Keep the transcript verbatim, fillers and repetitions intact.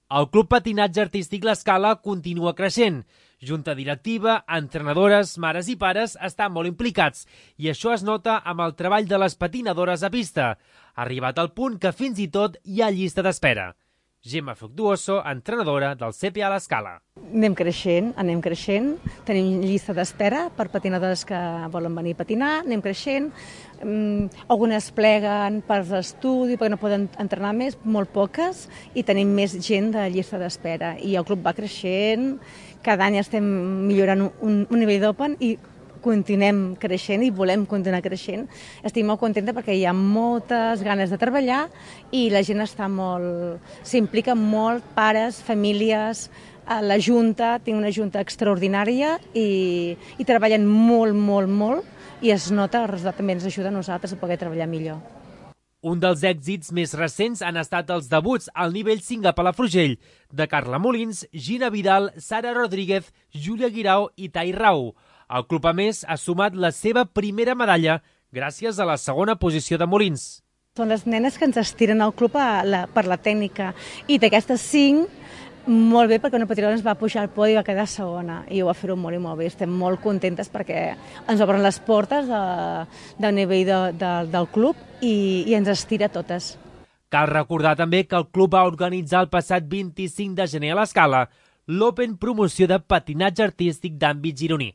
El Club Patinatge Artístic L'Escala continua creixent. Junta directiva, entrenadores, mares i pares estan molt implicats i això es nota amb el treball de les patinadores a pista. Ha arribat al punt que fins i tot hi ha llista d'espera. Gemma Fructuoso, entrenadora del C P A L'Escala. Anem creixent, anem creixent. Tenim llista d'espera per patinadores que volen venir a patinar, anem creixent. Um, algunes pleguen per l'estudi perquè no poden entrenar més, molt poques, i tenim més gent de llista d'espera. I el club va creixent, cada any estem millorant un, un nivell d'Open i continuem creixent i volem continuar creixent. Estic molt contenta perquè hi ha moltes ganes de treballar i la gent està molt, s'implica molt, pares, famílies, la Junta, tinc una Junta extraordinària i, i treballen molt, molt, molt i es nota, el resultat també ens ajuda a nosaltres a poder treballar millor. Un dels èxits més recents han estat els debuts al nivell cinc a Palafrugell de Carla Molins, Gina Vidal, Sara Rodríguez, Júlia Guirao i Tai Rau. El club, a més, ha sumat la seva primera medalla gràcies a la segona posició de Molins. Són les nenes que ens estiren al club a la, per la tècnica i d'aquestes cinc, molt bé perquè una patinadora ens va pujar al podi i va quedar segona i ho va fer-ho molt i molt bé. Estem molt contentes perquè ens obren les portes de, del nivell de, de, del club i, i ens estira totes. Cal recordar també que el club va organitzar el passat vint-i-cinc de gener a l'Escala l'Open Promoció de Patinatge Artístic d'àmbit gironí.